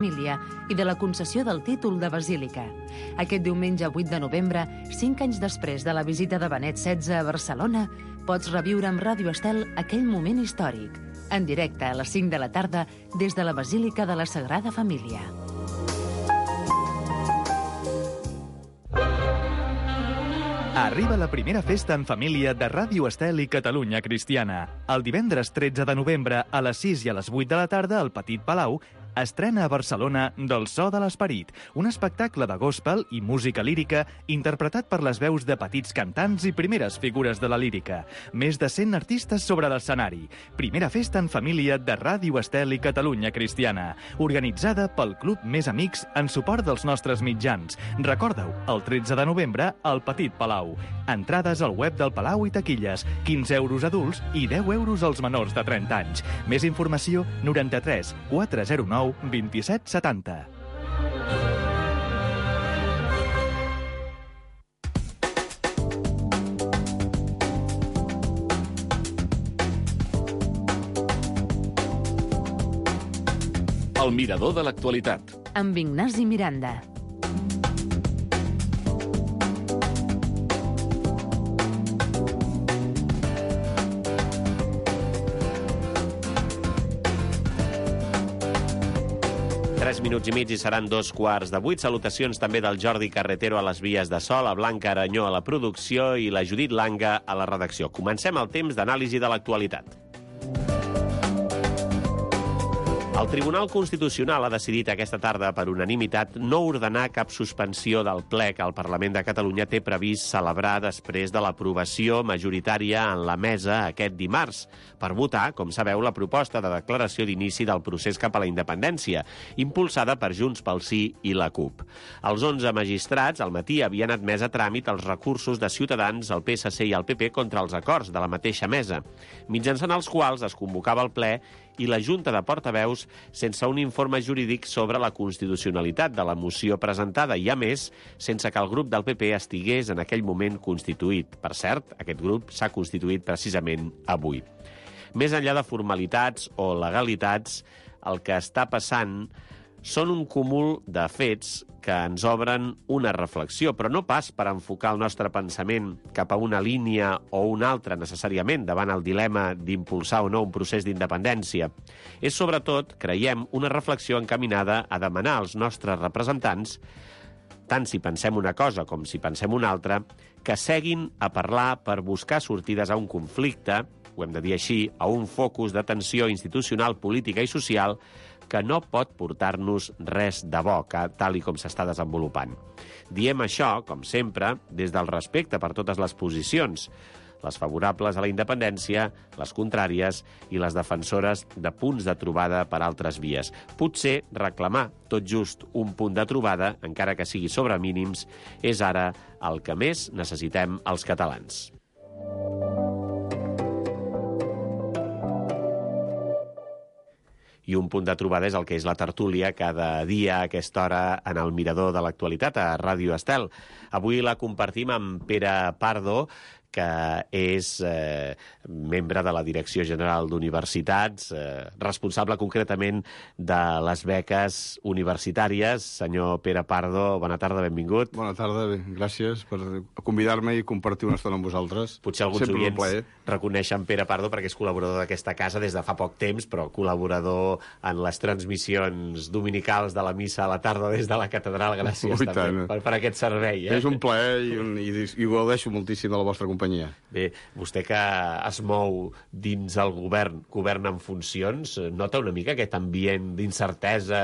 Família i de la concessió del títol de basílica. Aquest diumenge 8 de novembre, 5 anys després de la visita de Benet XVI a Barcelona, pots reviure amb Ràdio Estel aquell moment històric, en directe a les 5 de la tarda des de la Basílica de la Sagrada Família. Arriba la primera festa en família de Ràdio Estel i Catalunya Cristiana. El divendres 13 de novembre a les 6 i a les 8 de la tarda al Petit Palau estrena a Barcelona Del so de l'esperit, un espectacle de gospel i música lírica interpretat per les veus de petits cantants i primeres figures de la lírica. Més de 100 artistes sobre l'escenari. Primera festa en família de Ràdio Estel i Catalunya Cristiana, organitzada pel Club Més Amics en suport dels nostres mitjans. Recorda-ho, el 13 de novembre al Petit Palau. Entrades al web del Palau i taquilles, 15 euros adults i 10 euros als menors de 30 anys. Més informació, 93 409 27 70. El mirador de l'actualitat. Amb Ignasi Miranda. Minuts i mig i seran 2:15. Salutacions també del Jordi Carretero a les vies de so, la Blanca Aranyó a la producció i la Judit Langa a la redacció. Comencem el temps d'anàlisi de l'actualitat. El Tribunal Constitucional ha decidit aquesta tarda per unanimitat no ordenar cap suspensió del ple que el Parlament de Catalunya té previst celebrar després de l'aprovació majoritària en la mesa aquest dimarts per votar, com sabeu, la proposta de declaració d'inici del procés cap a la independència, impulsada per Junts pel Sí i la CUP. Els 11 magistrats al matí havien admès a tràmit els recursos de Ciutadans, el PSC i el PP contra els acords de la mateixa mesa, mitjançant els quals es convocava el ple i la Junta de Portaveus sense un informe jurídic sobre la constitucionalitat de la moció presentada i, a més, sense que el grup del PP estigués en aquell moment constituït. Per cert, aquest grup s'ha constituït precisament avui. Més enllà de formalitats o legalitats, el que està passant són un cúmul de fets que ens obren una reflexió, però no pas per enfocar el nostre pensament cap a una línia o una altra necessàriament davant el dilema d'impulsar o no un procés d'independència. És sobretot, creiem, una reflexió encaminada a demanar als nostres representants, tant si pensem una cosa com si pensem una altra, que seguin a parlar per buscar sortides a un conflicte, ho hem de dir així, a un focus de tensió institucional, política i social que no pot portar-nos res de bo, tal i com s'està desenvolupant. Diem això, com sempre, des del respecte per totes les posicions, les favorables a la independència, les contràries i les defensores de punts de trobada per altres vies. Potser reclamar tot just un punt de trobada, encara que sigui sobre mínims, és ara el que més necessitem els catalans. I un punt de trobada és el que és la tertúlia cada dia a aquesta hora en el mirador de l'actualitat a Ràdio Estel. Avui la compartim amb Pere Pardo, que és membre de la Direcció General d'Universitats, responsable concretament de les beques universitàries. Senyor Pere Pardo, bona tarda, benvingut. Bona tarda, gràcies per convidar-me i compartir una estona amb vosaltres. Potser alguns oients reconeixen Pere Pardo perquè és col·laborador d'aquesta casa des de fa poc temps, però col·laborador en les transmissions dominicals de la missa a la tarda des de la catedral. Gràcies també per aquest servei. És un plaer i gaudeixo moltíssim de la vostra companyia. Bé, vostè que es mou dins el govern en funcions, nota una mica aquest ambient d'incertesa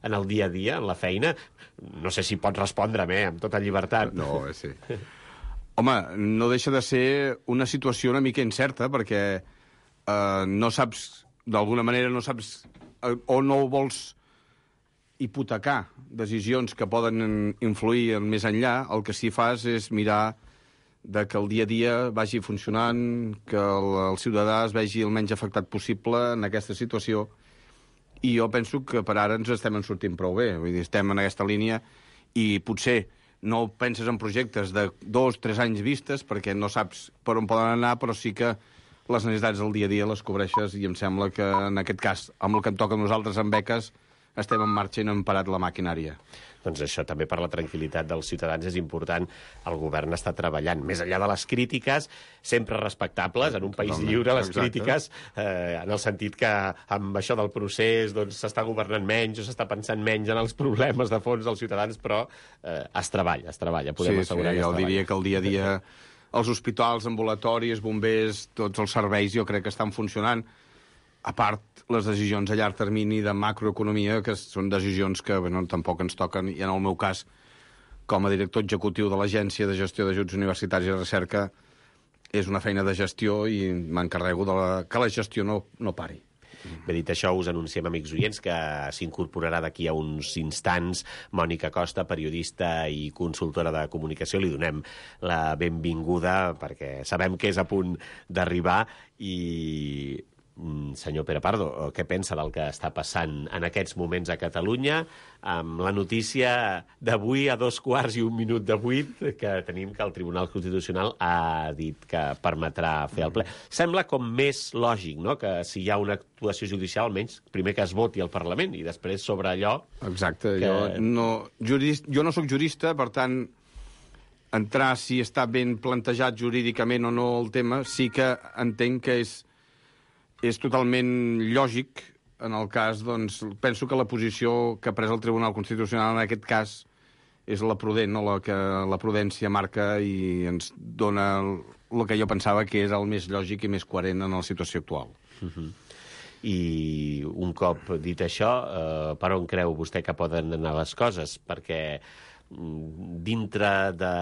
en el dia a dia, en la feina? No sé si pot respondre'm, amb tota llibertat. No, sí. Home, no deixa de ser una situació una mica incerta, perquè no saps, d'alguna manera no saps o no vols hipotecar decisions que poden influir en més enllà. El que sí fas és mirar de que el dia a dia vagi funcionant, que el ciutadà es vegi el menys afectat possible en aquesta situació, i jo penso que per ara ens estem en sortint prou bé. Vull dir, estem en aquesta línia i potser no penses en projectes de 2-3 anys vistes perquè no saps per on poden anar, però sí que les necessitats del dia a dia les cobreixes, i em sembla que en aquest cas, amb el que em toca a nosaltres amb beques, estem en marxa i no hem parat la maquinària. Doncs això també per la tranquil·litat dels ciutadans és important. El govern està treballant. Més enllà de les crítiques, sempre respectables, en un país lliure, les crítiques, en el sentit que amb això del procés doncs, s'està governant menys o s'està pensant menys en els problemes de fons dels ciutadans, però es treballa, podem assegurar que es treballa. Jo diria que el dia a dia els hospitals, ambulatoris, bombers, tots els serveis jo crec que estan funcionant. A part, les decisions a llarg termini de macroeconomia, que són decisions que tampoc ens toquen, i en el meu cas, com a director executiu de l'Agència de Gestió d'Ajuts Universitaris i Recerca, és una feina de gestió i m'encarrego que la gestió no pari. Bé, dit això, us anunciem, amics oients, que s'incorporarà d'aquí a uns instants Mònica Costa, periodista i consultora de comunicació. Li donem la benvinguda perquè sabem que és a punt d'arribar. I senyor Pere Pardo, què pensa del que està passant en aquests moments a Catalunya amb la notícia d'avui a 7:15 que tenim que el Tribunal Constitucional ha dit que permetrà fer el ple? Sembla com més lògic, no?, que si hi ha una actuació judicial, almenys primer que es voti al Parlament i després sobre allò... Exacte, jo no sóc jurista, per tant, entrar si està ben plantejat jurídicament o no el tema, sí que entenc que és totalment lògic. En el cas, doncs, penso que la posició que ha pres el Tribunal Constitucional en aquest cas és la prudent, no? La que la prudència marca i ens dona el que jo pensava que és el més lògic i més coherent en la situació actual. I un cop dit això, per on creu vostè que poden anar les coses? Perquè dintre de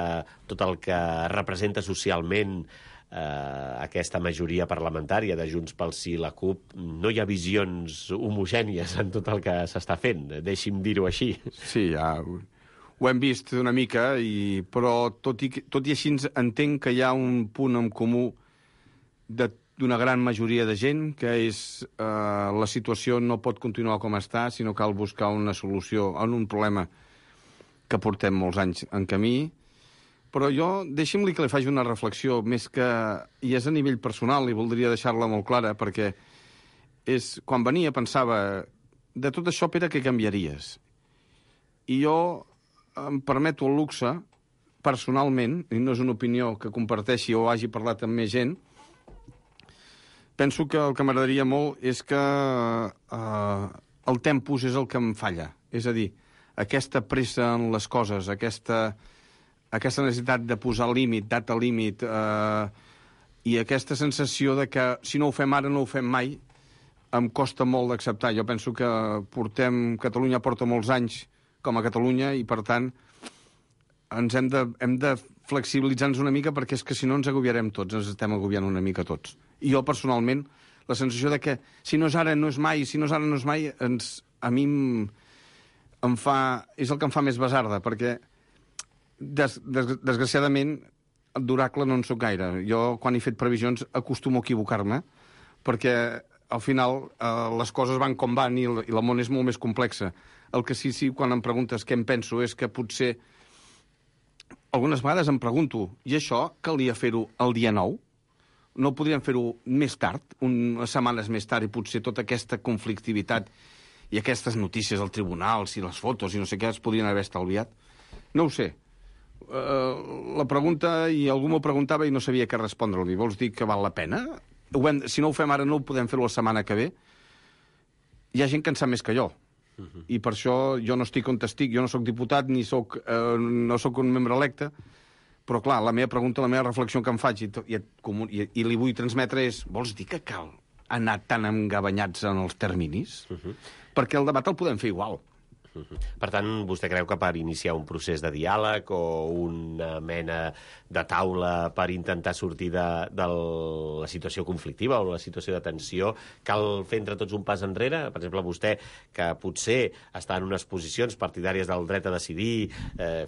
tot el que representa socialment aquesta majoria parlamentària de Junts pel Sí i la CUP, no hi ha visions homogènies en tot el que s'està fent, deixi'm dir-ho així. Sí, ja ho hem vist una mica, però tot i així entenc que hi ha un punt en comú d'una gran majoria de gent, que és la situació no pot continuar com està, sinó cal buscar una solució en un problema que portem molts anys en camí. Però deixi'm-li que li faci una reflexió, més que... i és a nivell personal, i voldria deixar-la molt clara, perquè quan venia pensava, de tot això, Pere, què canviaries? I jo em permeto el luxe, personalment, i no és una opinió que comparteixi o hagi parlat amb més gent, penso que el que m'agradaria molt és que el tempus és el que em falla. És a dir, aquesta pressa en les coses, aquesta necessitat de posar límit, data límit, i aquesta sensació de que si no ho fem ara no ho fem mai, em costa molt d'acceptar. Jo penso que Catalunya porta molts anys com a Catalunya i, per tant, hem de flexibilitzar-nos una mica, perquè és que si no ens agobiarem tots, ens estem agobiant una mica tots. I jo, personalment, la sensació de que si no és ara no és mai, si no és ara no és mai, a mi és el que em fa més basarda, perquè desgraciadament d'oracle no en soc gaire. Jo, quan he fet previsions, acostumo a equivocar-me, perquè al final les coses van com van i el món és molt més complexa. El que sí, quan em preguntes què em penso, és que potser algunes vegades em pregunto, i això calia fer-ho el dia 9? No podríem fer-ho més tard, unes setmanes més tard, i potser tota aquesta conflictivitat i aquestes notícies al tribunal, i les fotos i no sé què, es podrien haver estalviat? No ho sé. La pregunta, i algú m'ho preguntava i no sabia què respondre-li. Vols dir que val la pena? Si no ho fem ara, no ho podem fer la setmana que ve? Hi ha gent que en sap més que jo. I per això jo no estic on estic. Jo no sóc diputat, no sóc un membre electe, però clar, la meva pregunta, la meva reflexió que em faig i li vull transmetre és: vols dir que cal anar tan engabanyats en els terminis? Perquè el debat el podem fer igual. Per tant, vostè creu que per iniciar un procés de diàleg o una mena de taula per intentar sortir de la situació conflictiva o la situació de tensió, cal fer entre tots un pas enrere? Per exemple, vostè, que potser està en unes posicions partidàries del dret a decidir,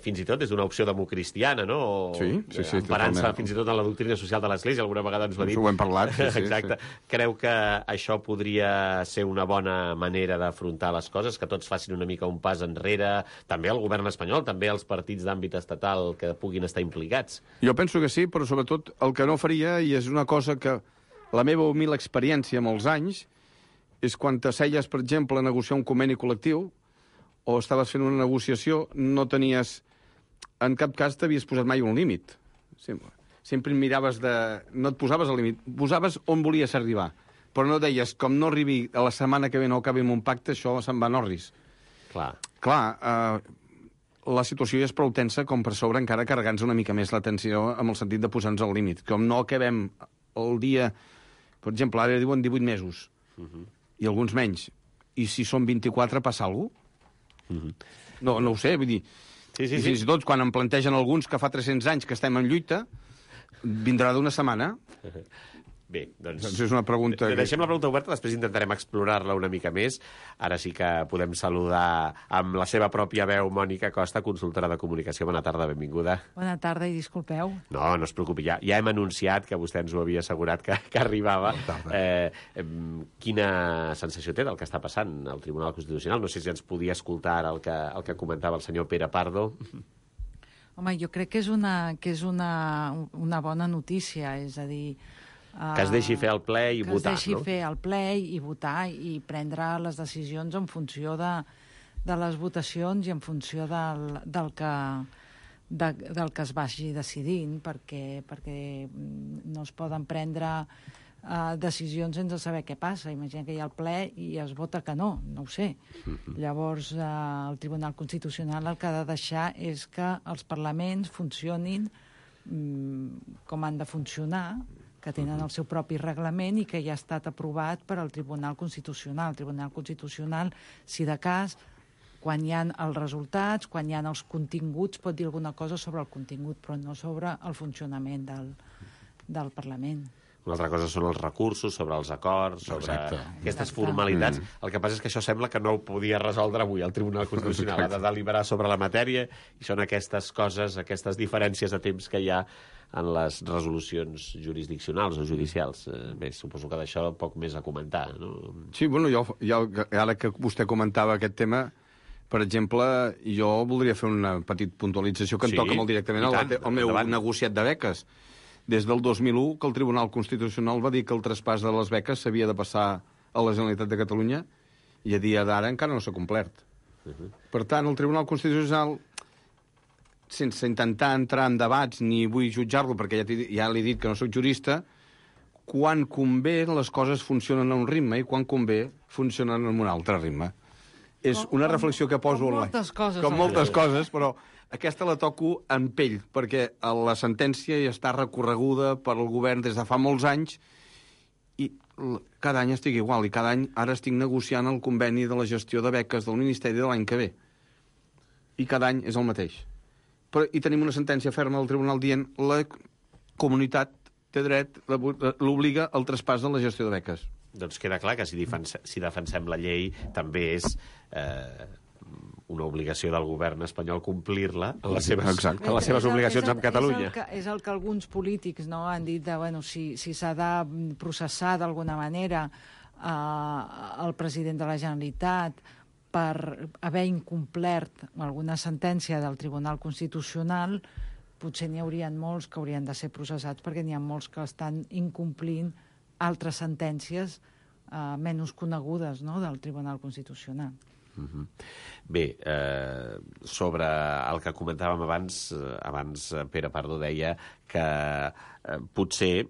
fins i tot des d'una opció democristiana, no? Sí, emparant-se fins i tot en la doctrina social de l'Església, alguna vegada ens ho ha dit. Ho hem parlat. Exacte. Creu que això podria ser una bona manera d'afrontar les coses, que tots facin una mica un pas enrere, també el govern espanyol, també els partits d'àmbit estatal que puguin estar implicats? Jo penso que sí, però sobretot el que no faria, i és una cosa que la meva humil experiència molts anys, és quan t'asseies, per exemple, a negociar un conveni col·lectiu o estaves fent una negociació, no tenies... En cap cas t'havies posat mai un límit. Sempre miraves de... No et posaves al límit, posaves on volies arribar. Però no deies, com no arribi a la setmana que ve no acabi amb un pacte, això se'n va a Norris. Clar, la situació ja és prou tensa com per sobre encara carregant-nos una mica més la tensió amb el sentit de posar-nos al límit. Com no acabem el dia... Per exemple, ara diuen 18 mesos, i alguns menys. I si són 24, passa alguna cosa? No ho sé, vull dir... Sí. Fins i tot, quan em plantegen alguns que fa 300 anys que estem en lluita, vindrà d'una setmana. Bé, doncs és una pregunta... Deixem la pregunta oberta, després intentarem explorar-la una mica més. Ara sí que podem saludar amb la seva pròpia veu Mònica Costa, consultora de comunicació. Bona tarda, benvinguda. Bona tarda i disculpeu. No es preocupi, ja hem anunciat que vostè ens ho havia assegurat que arribava. Quina sensació té del que està passant al Tribunal Constitucional? No sé si ens podia escoltar ara el que comentava el senyor Pere Pardo. Home, jo crec que és una bona notícia, és a dir... Que es deixi fer el ple i votar, no? Que es deixi fer el ple i votar i prendre les decisions en funció de les votacions i en funció del que es vagi decidint, perquè no es poden prendre decisions sense saber què passa. Imagina que hi ha el ple i es vota que no ho sé. Llavors, el Tribunal Constitucional el que ha de deixar és que els parlaments funcionin com han de funcionar, que tenen el seu propi reglament i que ja ha estat aprovat per al Tribunal Constitucional. El Tribunal Constitucional, si de cas, quan hi ha els resultats, quan hi ha els continguts, pot dir alguna cosa sobre el contingut, però no sobre el funcionament del Parlament. Una altra cosa són els recursos, sobre els acords, sobre aquestes formalitats. El que passa és que això sembla que no ho podia resoldre avui el Tribunal Constitucional. Ha de deliberar sobre la matèria i són aquestes coses, aquestes diferències de temps que hi ha en les resolucions jurisdiccionals o judicials. Bé, suposo que d'això poc més a comentar, no? Sí, bueno, ara que vostè comentava aquest tema, per exemple, jo voldria fer una petita puntualització que em toca molt directament al meu negociat de beques. Des del 2001, que el Tribunal Constitucional va dir que el traspàs de les beques s'havia de passar a la Generalitat de Catalunya i a dia d'ara encara no s'ha complert. Per tant, el Tribunal Constitucional, sense intentar entrar en debats ni vull jutjar-lo, perquè ja li he dit que no sóc jurista, quan convé les coses funcionen a un ritme i quan convé funcionen en un altre ritme. És una reflexió que poso... Com moltes coses, però aquesta la toco en pell, perquè la sentència ja està recorreguda per al govern des de fa molts anys i cada any estic igual, i cada any ara estic negociant el conveni de la gestió de beques del Ministeri de l'any que ve. I cada any és el mateix. I tenim una sentència ferma del tribunal dient la comunitat té dret, l'obliga al traspàs de la gestió de beques. Doncs queda clar que si defensem la llei també és una obligació del govern espanyol complir-la en les seves obligacions amb Catalunya. És el que alguns polítics han dit de, si s'ha de processar d'alguna manera el president de la Generalitat per haver incomplert alguna sentència del Tribunal Constitucional, potser n'hi haurien molts que haurien de ser processats perquè n'hi ha molts que estan incomplint altres sentències menys conegudes del Tribunal Constitucional. Bé, sobre el que comentàvem abans Pere Pardo deia que potser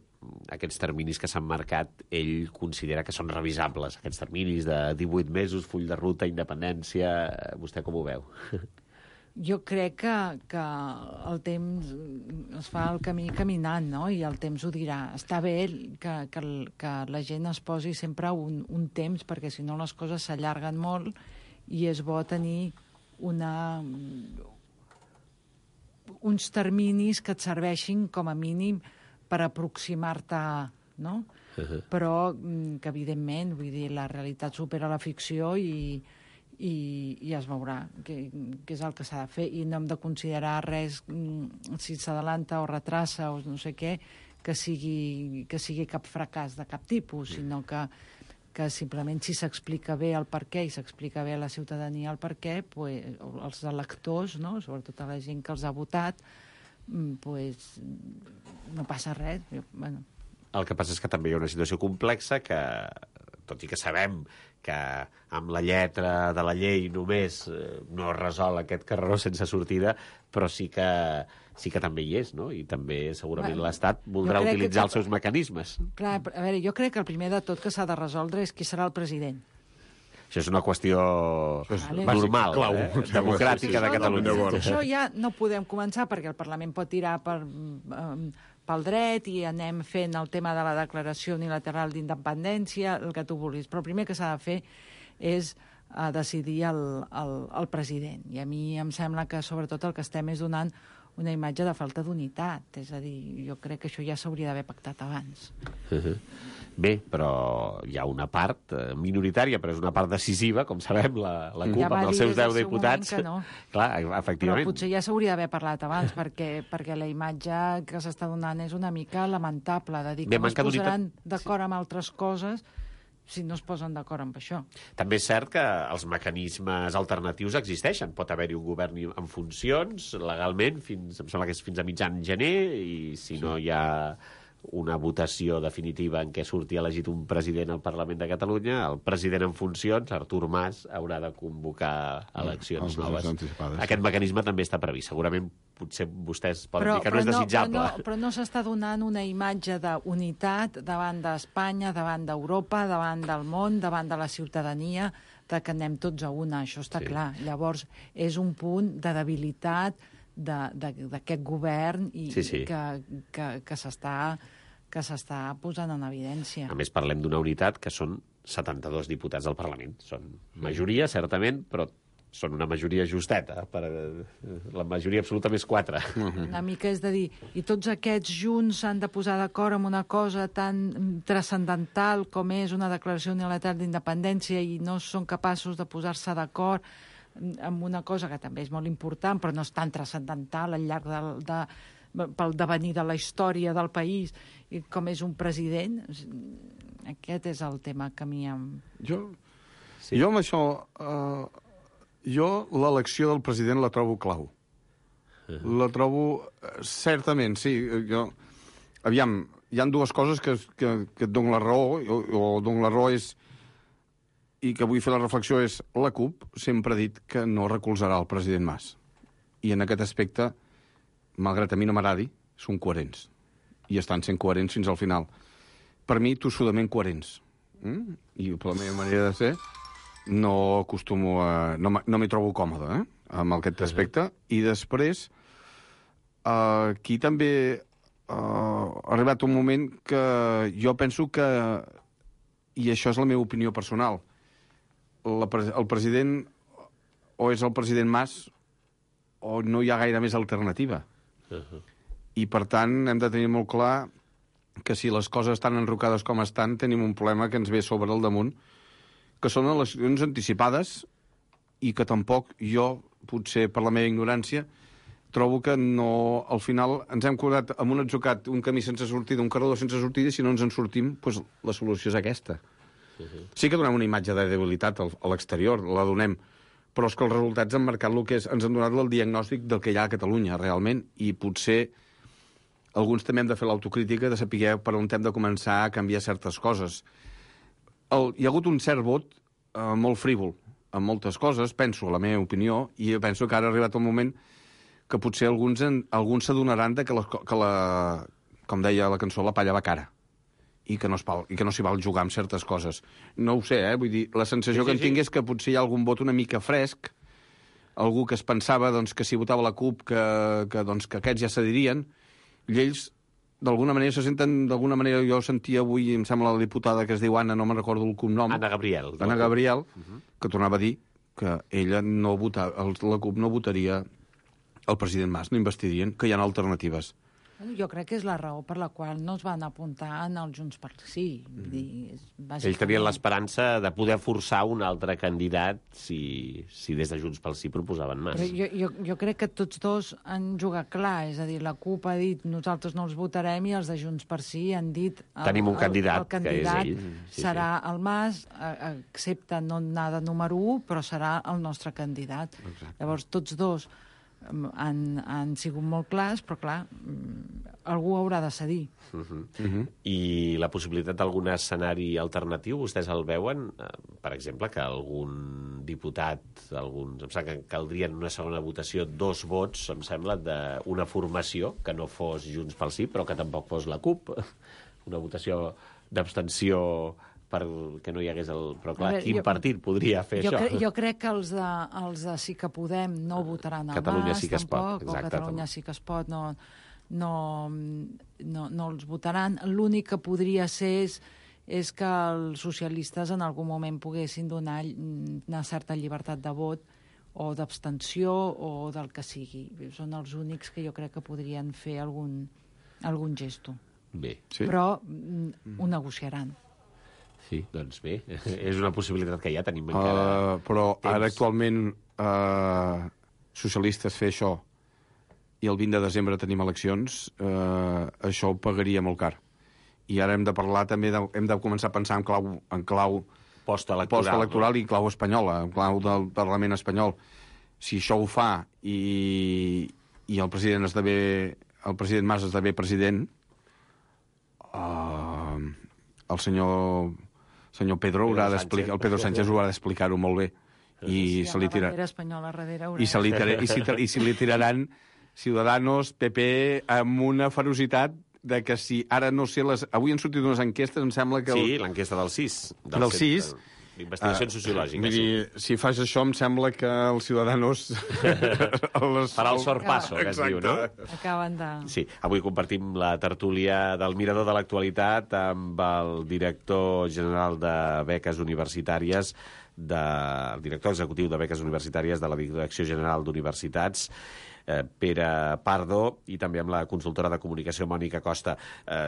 aquests terminis que s'han marcat ell considera que són revisables, aquests terminis de 18 mesos, full de ruta, independència. Vostè com ho veu? Jo crec que el temps es fa el camí caminant, no? I el temps ho dirà. Està bé que la gent es posi sempre un temps, perquè si no les coses s'allarguen molt i és bo tenir uns terminis que et serveixin com a mínim per aproximar-te, no? Però que, evidentment, vull dir, la realitat supera la ficció i es veurà què és el que s'ha de fer. I no hem de considerar res, si s'adalanta o retrassa o no sé què, que sigui cap fracàs de cap tipus, sinó que simplement si s'explica bé el per què i s'explica bé a la ciutadania el per què, els electors, no? Sobretot a la gent que els ha votat, no passa res. El que passa és que també hi ha una situació complexa que tot i que sabem que amb la lletra de la llei només no es resol aquest carreró sense sortida, però sí que també hi és, no? I també segurament l'Estat voldrà utilitzar els seus mecanismes. Clar, a veure, jo crec que el primer de tot que s'ha de resoldre és qui serà el president. Això és una qüestió normal, democràtica de Catalunya. Això ja no podem començar perquè el Parlament pot tirar pel dret i anem fent el tema de la declaració unilateral d'independència, el que tu vulguis. Però el primer que s'ha de fer és decidir el president. I a mi em sembla que sobretot el que estem és donant una imatge de falta d'unitat. És a dir, jo crec que això ja s'hauria d'haver pactat abans. Bé, però hi ha una part minoritària, però és una part decisiva, com sabem, la CUP amb els seus 10 diputats. No. Clar, efectivament. Però potser ja s'hauria d'haver parlat abans, perquè la imatge que s'està donant és una mica lamentable, de dir que no es posaran d'acord amb altres coses si no es posen d'acord amb això. També és cert que els mecanismes alternatius existeixen. Pot haver-hi un govern en funcions, legalment, em sembla que és fins a mitjan gener, i si no hi ha una votació definitiva en què surti elegit un president al Parlament de Catalunya, el president en funcions, Artur Mas, haurà de convocar eleccions noves. Aquest mecanisme també està previst. Segurament, potser vostès poden dir que no és desitjable. Però no s'està donant una imatge d'unitat davant d'Espanya, davant d'Europa, davant del món, davant de la ciutadania, de que anem tots a una, això està clar. Llavors, és un punt de debilitat d'aquest govern i que s'està posant en evidència. A més, parlem d'una unitat que són 72 diputats del Parlament. Són majoria, certament, però són una majoria justeta. La majoria absoluta més 4. Una mica és de dir, i tots aquests junts s'han de posar d'acord amb una cosa tan transcendental com és una declaració unilateral d'independència i no són capaços de posar-se d'acord amb una cosa que també és molt important, però no és tan transcendental al llarg pel devenir de la història del país, i com és un president. Aquest és el tema que a mi Jo amb això... Jo l'elecció del president la trobo clau. La trobo... Certament, sí. Aviam, hi ha dues coses que et dono la raó, o dono la raó és... i que vull fer la reflexió és la CUP sempre ha dit que no recolzarà el president Mas. I en aquest aspecte, malgrat a mi no m'agradi, són coherents. I estan sent coherents fins al final. Per mi, tossudament coherents. I per la meva manera de ser, no acostumo a... No m'hi trobo còmode, amb aquest aspecte. I després, aquí també ha arribat un moment que jo penso que, i això és la meva opinió personal, el president o és el president Mas o no hi ha gaire més alternativa. I, per tant, hem de tenir molt clar que si les coses estan enrocades com estan, tenim un problema que ens ve sobre el damunt, que són eleccions anticipades i que tampoc jo, potser per la meva ignorància, trobo que no, al final ens hem quedat amb un atzucat, un camí sense sortida, un carreró sense sortida, i si no ens en sortim, doncs la solució és aquesta. Sí que donem una imatge de debilitat a l'exterior, la donem, però és que els resultats han marcat el que és, ens han donat el diagnòstic del que hi ha a Catalunya, realment, i potser alguns també hem de fer l'autocrítica de saber per on hem de començar a canviar certes coses. Hi ha hagut un cert vot molt frívol en moltes coses, penso, a la meva opinió, i jo penso que ara ha arribat el moment que potser alguns s'adonaran que com deia la cançó, la palla va cara, i que no s'hi val jugar amb certes coses. No ho sé, vull dir, la sensació que en tinc és que potser hi ha algun vot una mica fresc, algú que es pensava que si votava la CUP que aquests ja s'adirien, i ells d'alguna manera se senten, d'alguna manera jo sentia avui, em sembla la diputada que es diu Anna, no me'n recordo el cognom. Anna Gabriel. Anna Gabriel, que tornava a dir que ella no votava, la CUP no votaria el president Mas, no investirien, que hi ha alternatives. Jo crec que és la raó per la qual no es van apuntar en el Junts pel Sí. Ells tenien l'esperança de poder forçar un altre candidat si des de Junts pel Sí proposaven Mas. Jo crec que tots dos han jugat clar, és a dir, la CUP ha dit nosaltres no els votarem i els de Junts pel Sí han dit tenim un candidat, el candidat que és ell. Serà el Mas, excepte no anar de número 1, però serà el nostre candidat. Exacte. Llavors tots dos han sigut molt clars, però clar, algú haurà de cedir. I la possibilitat d'algun escenari alternatiu, vostès el veuen? Per exemple, que algun diputat, em sembla que caldria en una segona votació 2 vots, em sembla, d'una formació que no fos Junts pel Sí, però que tampoc fos la CUP. Una votació d'abstenció perquè no hi hagués el... Però clar, quin partit podria fer això? Jo crec que els de Sí que Podem no votaran al Catalunya Mas, sí que es pot, tampoc, o exacte, Catalunya sí que es pot, no els votaran. L'únic que podria ser és que els socialistes en algun moment poguessin donar una certa llibertat de vot o d'abstenció o del que sigui. Són els únics que jo crec que podrien fer algun gesto. Bé. Sí? Però ho negociaran. Sí, doncs bé, és una possibilitat que ja tenim encara però temps. ara actualment socialistes fer això i el 20 de desembre tenim eleccions, això ho pagaria molt car. I ara hem de parlar també, hem de començar a pensar en clau postelectoral i clau espanyola, en clau del Parlament espanyol. Si això ho fa i el president Mas esdevé president, el senyor Pedro haurà d'explicar, el Pedro Sánchez haurà d'explicar-ho molt bé. I se li tirarà. I se li tiraran Ciudadanos, PP, amb una ferocitat de que si ara no sé... Avui han sortit unes enquestes, em sembla que... Sí, l'enquesta del CIS. Del CIS. D'investigacions sociològiques. Vull dir, si fas això, em sembla que els Ciudadanos... Farà el sorpasso, que es diu, no? Acaben de... Sí, avui compartim la tertúlia del Mirador de l'Actualitat amb el director general de Beques Universitàries, el director executiu de Beques Universitàries de la Direcció General d'Universitats, Pere Pardo, i també amb la consultora de comunicació Mònica Costa.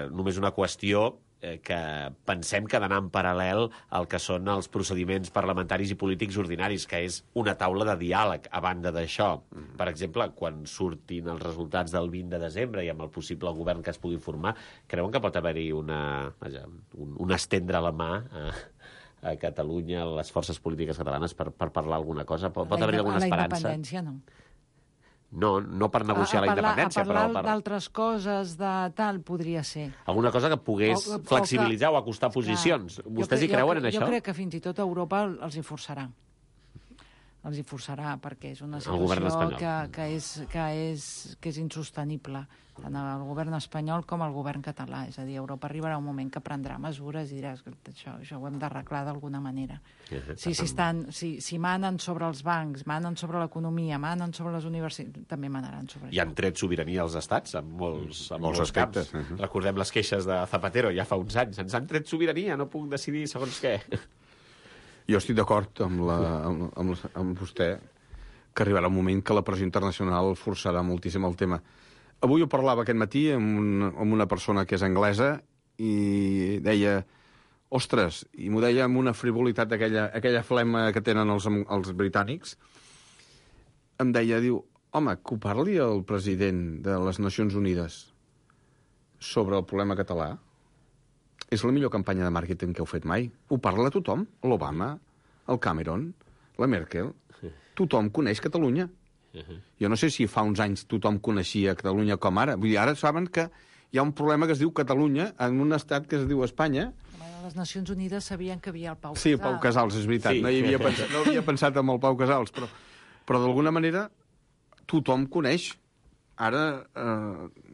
Només una qüestió que pensem que ha d'anar en paral·lel al que són els procediments parlamentaris i polítics ordinaris, que és una taula de diàleg a banda d'això. Per exemple, quan surtin els resultats del 20 de desembre i amb el possible govern que es pugui formar, creuen que pot haver-hi un estendre la mà a Catalunya, a les forces polítiques catalanes, per parlar alguna cosa? Pot haver-hi alguna esperança? La independència, no. No per negociar la independència, però... A parlar d'altres coses, de tal, podria ser. Alguna cosa que pogués flexibilitzar o acostar posicions. Vostès hi creuen en això? Jo crec que fins i tot Europa els hi forçarà. Els hi forçarà, perquè és una situació que és insostenible, tant el govern espanyol com el govern català. És a dir, Europa arribarà un moment que prendrà mesures i dirà que això ho hem d'arreglar d'alguna manera. Si manen sobre els bancs, manen sobre l'economia, manen sobre les universitats, també manaran sobre això. I han tret sobirania als estats en molts aspectes. Camps. Recordem les queixes de Zapatero ja fa uns anys. Ens han tret sobirania, no puc decidir segons què. Jo estic d'acord amb vostè que arribarà un moment que la pressió internacional forçarà moltíssim el tema. Avui ho parlava aquest matí amb una persona que és anglesa i deia, ostres, i m'ho deia amb una frivolitat aquella flema que tenen els britànics, em deia, diu, home, que ho parli el president de les Nacions Unides sobre el problema català és la millor campanya de màrqueting que heu fet mai. Ho parla tothom. L'Obama, el Cameron, la Merkel. Tothom coneix Catalunya. Jo no sé si fa uns anys tothom coneixia Catalunya com ara. Vull dir, ara saben que hi ha un problema que es diu Catalunya en un estat que es diu Espanya. Les Nacions Unides sabien que havia el Pau Casals. Sí, el Pau Casals, és veritat. Sí. No havia pensat en el Pau Casals, però d'alguna manera tothom coneix. Ara,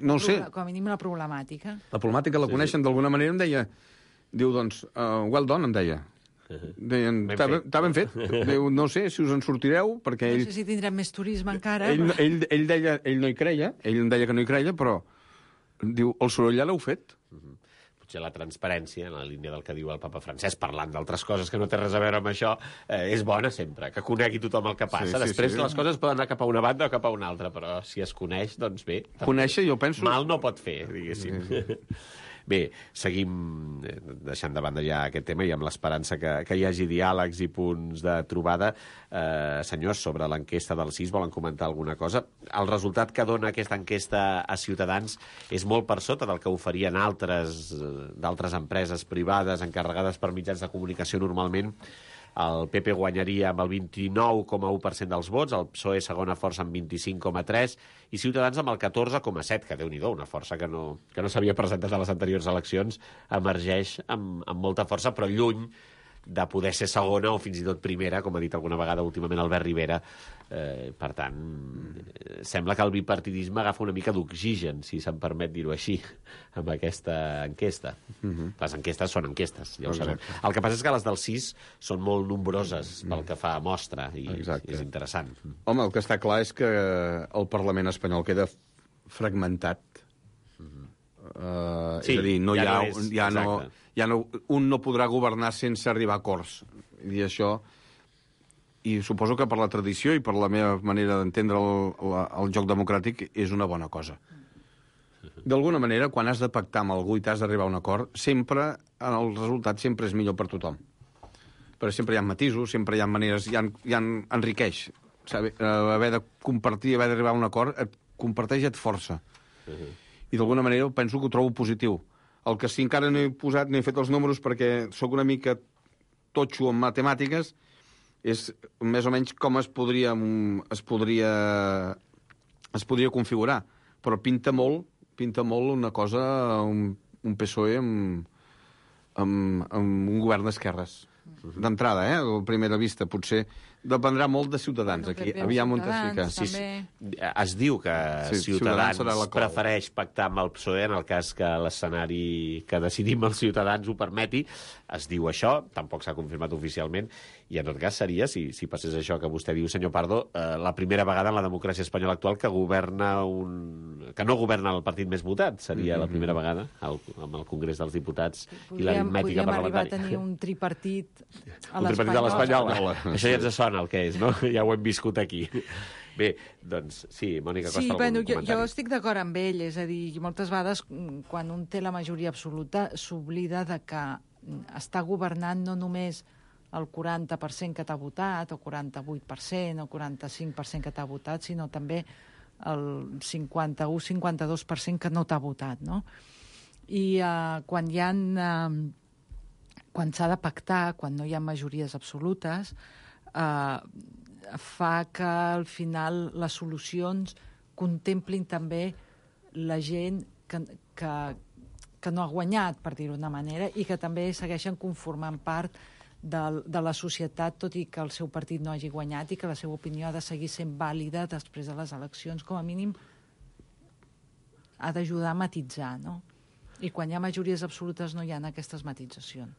no ho sé. Com a mínim la problemàtica. La problemàtica la coneixen d'alguna manera, em deia... Diu, doncs, well done, em deia. Deien, està ben fet. Diu, no sé si us en sortireu, perquè ell... No sé si tindrem més turisme encara. Ell deia, ell no hi creia, ell em deia que no hi creia, però diu, el soroll ja l'heu fet. Potser la transparència, en la línia del que diu el papa Francesc, parlant d'altres coses que no té res a veure amb això, és bona sempre, que conegui tothom el que passa. Després les coses poden anar cap a una banda o cap a una altra, però si es coneix, doncs bé. Conèixer, jo penso... Mal no pot fer, diguéssim. Bé, seguim deixant de banda ja aquest tema i amb l'esperança que hi hagi diàlegs i punts de trobada. Senyors, sobre l'enquesta del CIS, volen comentar alguna cosa? El resultat que dona aquesta enquesta a Ciutadans és molt per sota del que oferien d'altres empreses privades encarregades per mitjans de comunicació normalment el PP guanyaria amb el 29,1% dels vots, el PSOE segona força amb 25,3% i Ciutadans amb el 14,7%, que Déu-n'hi-do, una força que no s'havia presentat a les anteriors eleccions, emergeix amb molta força, però lluny de poder ser segona o fins i tot primera, com ha dit alguna vegada últimament Albert Rivera. Per tant, sembla que el bipartidisme agafa una mica d'oxigen, si se'm permet dir-ho així, amb aquesta enquesta. Les enquestes són enquestes, ja ho sabem. El que passa és que les del 6 són molt nombroses pel que fa a mostra, i és interessant. Home, el que està clar és que el Parlament espanyol queda fragmentat. És a dir, un no podrà governar sense arribar a acords. I això, i suposo que per la tradició i per la meva manera d'entendre el joc democràtic és una bona cosa. D'alguna manera, quan has de pactar amb algú i t'has d'arribar a un acord, sempre, el resultat sempre és millor per tothom. Però sempre hi ha matisos, sempre hi ha maneres, enriqueix. Haver de compartir, haver d'arribar a un acord, et comparteix i et força. I d'alguna manera penso que ho trobo positiu. El que sí encara no he posat, no he fet els números perquè sóc una mica totxo en matemàtiques, és més o menys com es podria configurar. Però pinta molt una cosa, un PSOE amb un govern d'esquerres. D'entrada, a primera vista, potser dependrà molt de Ciutadans. Aquí aviam on es fica. Sí. Es diu que Ciutadans prefereix pactar amb el PSOE en el cas que l'escenari que decidim els ciutadans ho permeti. Es diu això, tampoc s'ha confirmat oficialment, i en tot cas seria, si passés això que vostè diu, senyor Pardo, la primera vegada en la democràcia espanyola actual que no governa el partit més votat. Seria la primera vegada amb el Congrés dels Diputats i l'aritmètica parlamentària. Podríem arribar a tenir un tripartit a l'Espanyol. Un tripartit a l'Espanyol. Això ja ens sona el que és, no? Ja ho hem viscut aquí. Bé, doncs, sí, Mònica Costa, algun comentari? Jo estic d'acord amb ell, és a dir, moltes vegades quan un té la majoria absoluta s'oblida de que està governant no només el 40% que t'ha votat, o 48%, o 45% que t'ha votat, sinó també el 51-52% que no t'ha votat, no? I quan s'ha de pactar, quan no hi ha majories absolutes, fa que al final les solucions contemplin també la gent que no ha guanyat, per dir-ho d'una manera, i que també segueixen conformant part de la societat, tot i que el seu partit no hagi guanyat i que la seva opinió ha de seguir sent vàlida després de les eleccions. Com a mínim ha d'ajudar a matitzar, no? I quan hi ha majories absolutes no hi ha aquestes matitzacions.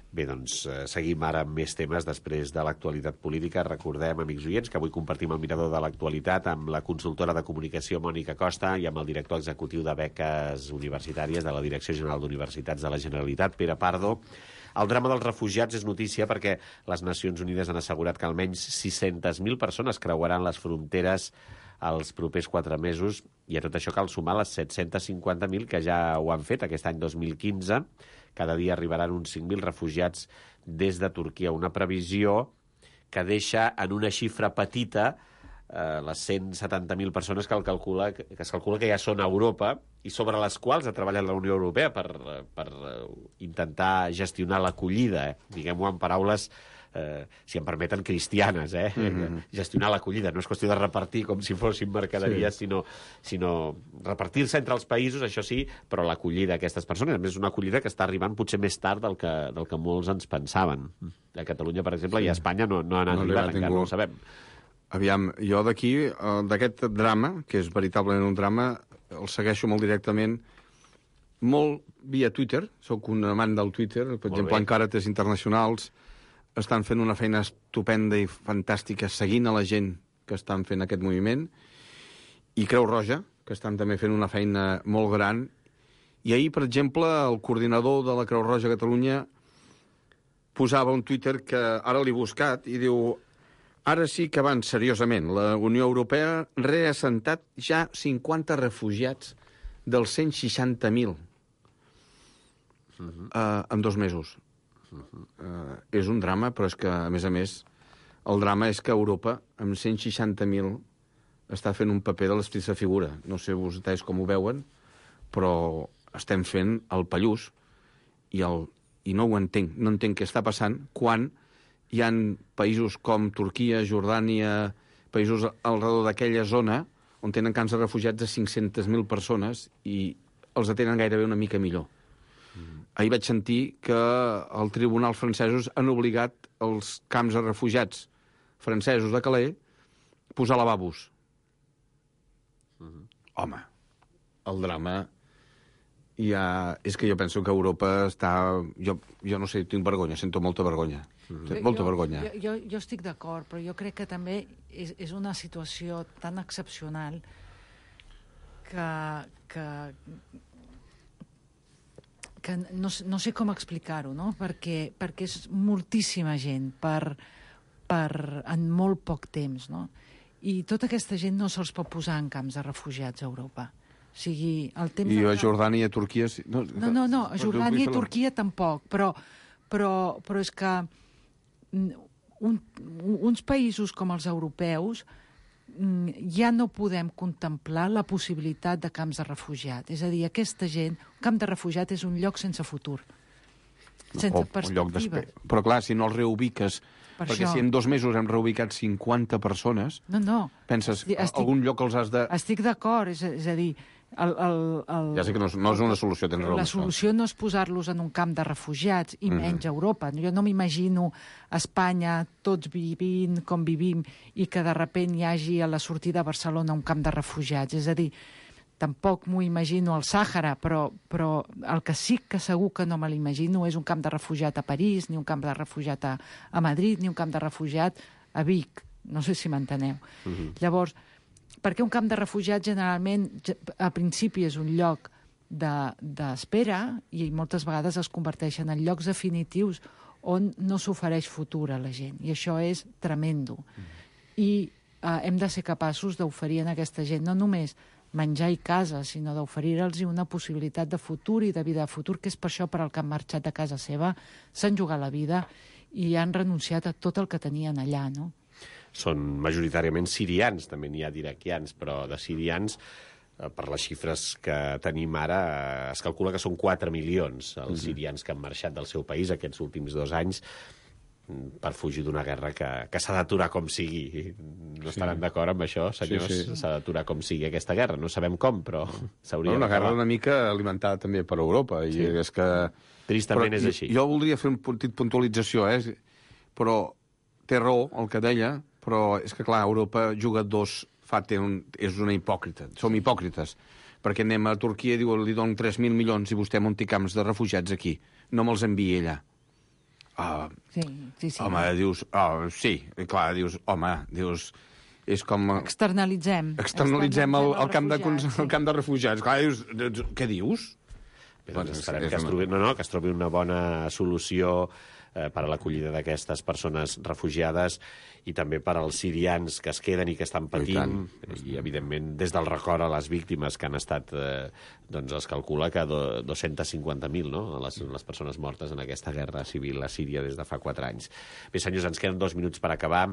Bé, doncs seguim ara amb més temes després de l'actualitat política. Recordem, amics oients, que avui compartim el mirador de l'actualitat amb la consultora de comunicació Mònica Costa i amb el director executiu de beques universitàries de la Direcció General d'Universitats de la Generalitat, Pere Pardo. El drama dels refugiats és notícia perquè les Nacions Unides han assegurat que almenys 600.000 persones creuaran les fronteres els propers 4 mesos, i a tot això cal sumar les 750.000 que ja ho han fet aquest any 2015. Cada dia arribaran uns 5.000 refugiats des de Turquia. Una previsió que deixa en una xifra petita les 170.000 persones que es calcula que ja són a Europa i sobre les quals ha treballat la Unió Europea per intentar gestionar l'acollida, diguem-ho en paraules, si em permeten, cristianes, gestionar l'acollida. No és qüestió de repartir com si fossin mercaderies, sinó repartir-se entre els països, això sí, però l'acollida d'aquestes persones. A més, és una acollida que està arribant potser més tard del que molts ens pensaven. A Catalunya, per exemple, i a Espanya no han arribat, encara no ho sabem. Aviam, jo d'aquí, d'aquest drama, que és veritablement un drama, el segueixo molt directament, molt via Twitter. Soc un amant del Twitter, per exemple, en Càritas Internacionals estan fent una feina estupenda i fantàstica seguint a la gent que estan fent aquest moviment, i Creu Roja, que estan també fent una feina molt gran. I ahir, per exemple, el coordinador de la Creu Roja a Catalunya posava un Twitter que ara l'he buscat i diu: ara sí que van seriosament. La Unió Europea ha reassentat ja 50 refugiats dels 160.000 en 2 mesos. És un drama, però és que, a més, el drama és que Europa, amb 160.000, està fent un paper de l'estrissa figura. No sé vostès com ho veuen, però estem fent el pallús i no ho entenc. No entenc què està passant quan hi ha països com Turquia, Jordània, països al redor d'aquella zona on tenen camps de refugiats de 500.000 persones i els atenen gairebé una mica millor. Ahir vaig sentir que els tribunals francesos han obligat els camps de refugiats francesos de Calais a posar lavabos. Home, el drama... És que jo penso que Europa està... Jo no sé, tinc vergonya, sento molta vergonya. Molta vergonya. Jo estic d'acord, però jo crec que també és una situació tan excepcional que no sé com explicar-ho, no? Perquè és moltíssima gent en molt poc temps, no? I tota aquesta gent no se'ls pot posar en camps de refugiats a Europa. O sigui, el temps... I a Jordània i a Turquia... No, a Jordània i Turquia tampoc, però és que uns països com els europeus ja no podem contemplar la possibilitat de camps de refugiat. És a dir, aquesta gent... Un camp de refugiat és un lloc sense futur, sense perspectiva. Però clar, si no els reubiques... Perquè si en 2 mesos hem reubicat 50 persones... No. Penses, algun lloc els has de... Estic d'acord, és a dir... Ja sé que no és una solució, tens raó. La solució no és posar-los en un camp de refugiats, i menys a Europa. Jo no m'imagino a Espanya tots vivint com vivim i que de sobte hi hagi a la sortida de Barcelona un camp de refugiats. És a dir, tampoc m'ho imagino al Sàhara, però el que sí que segur que no me l'imagino és un camp de refugiat a París, ni un camp de refugiat a Madrid, ni un camp de refugiat a Vic. No sé si m'enteneu. Llavors, perquè un camp de refugiats generalment a principi és un lloc d'espera i moltes vegades es converteixen en llocs definitius on no s'ofereix futur a la gent. I això és tremendo. I hem de ser capaços d'oferir a aquesta gent no només menjar i casa, sinó d'oferir-los una possibilitat de futur i de vida de futur, que és per això per al que han marxat de casa seva, s'han jugat la vida i han renunciat a tot el que tenien allà, no? Són majoritàriament sirians, també n'hi ha d'iraquians, però de sirians, per les xifres que tenim ara, es calcula que són 4 milions els sirians que han marxat del seu país aquests últims 2 anys per fugir d'una guerra que s'ha d'aturar com sigui. No estaran d'acord amb això, senyors? Sí. S'ha d'aturar com sigui aquesta guerra. No sabem com, però s'hauria d'acabar. Una guerra una mica alimentada també per Europa. Sí. I és que... Tristament és així. Jo voldria fer un petit puntualització, però té raó el que deia, però és que, clar, Europa juga és una hipòcrita. Som hipòcrites. Perquè anem a Turquia i li donen 3.000 milions i vostè munti camps de refugiats aquí. No me'ls enviï allà. Sí. Home, dius... sí, clar, dius... Home, dius... És com... Externalitzem el camp de refugiats. Clar, dius... Què dius? Doncs esperem que es trobi una bona solució per a l'acollida d'aquestes persones refugiades i també per als sirians que es queden i que estan patint i evidentment des del record a les víctimes que han estat doncs es calcula que 250.000 no? les persones mortes en aquesta guerra civil a Síria des de fa 4 anys. Bé, senyors, ens queden 2 minuts per acabar.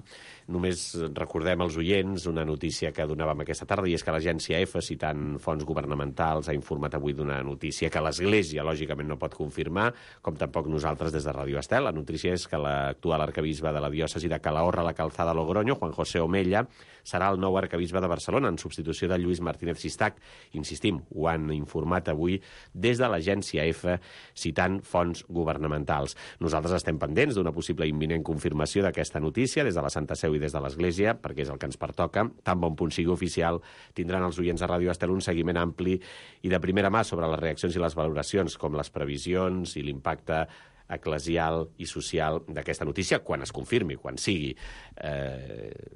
Només recordem als oients una notícia que donàvem aquesta tarda i és que l'agència EFE, citant fonts governamentals, ha informat avui d'una notícia que l'Església lògicament no pot confirmar, com tampoc nosaltres des de Ràdio Estel. La notícia és que l'actual arquebisbe de la diòcesi de Calahorra, la Calzada Logroño, Juan José Omella, serà el nou arquebisbe de Barcelona en substitució de Lluís Martínez Sistac. Insistim, ho han informat avui des de l'agència EFE, citant fonts governamentals. Nosaltres estem pendents d'una possible imminent confirmació d'aquesta notícia des de la Santa Seu i des de l'Església, perquè és el que ens pertoca. Tan bon punt sigui oficial, tindran els oients de Ràdio Estel un seguiment ampli i de primera mà sobre les reaccions i les valoracions, com les previsions i l'impacte eclesial i social d'aquesta notícia, quan es confirmi, quan sigui.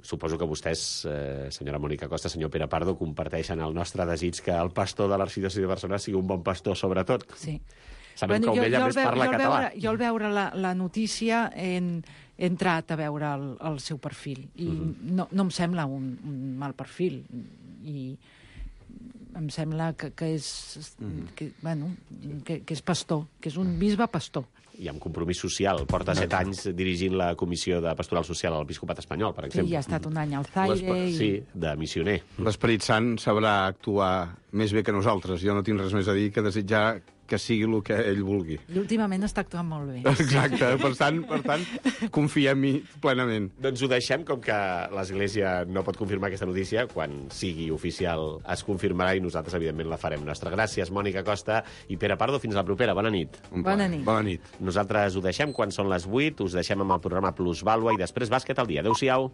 Suposo que vostès, senyora Mònica Costa, senyor Pere Pardo, comparteixen el nostre desig que el pastor de l'Arxidiòcesi de Barcelona sigui un bon pastor, sobretot. Sí. Sabem que Omella més parla català. Jo al veure la notícia he entrat a veure el seu perfil i no em sembla un mal perfil i em sembla que és pastor, que és un bisbe pastor. I amb compromís social. Porta 7 anys dirigint la Comissió de Pastoral Social a l'Episcopat espanyol, per exemple. Sí, ha estat un any al Zaire. Sí, de missioner. L'Esperit Sant sabrà actuar més bé que nosaltres. Jo no tinc res més a dir que desitjar que sigui el que ell vulgui. I últimament està actuant molt bé. Exacte, per tant, confiem-hi plenament. Doncs ho deixem, com que l'Església no pot confirmar aquesta notícia, quan sigui oficial es confirmarà i nosaltres, evidentment, la farem nostra. Gràcies, Mònica Costa i Pere Pardo. Fins la propera. Bona nit. Bona nit. Bona nit. Nosaltres ho deixem quan són les 8, us deixem amb el programa Plusvàlua i després bàsquet al dia. Adéu-siau.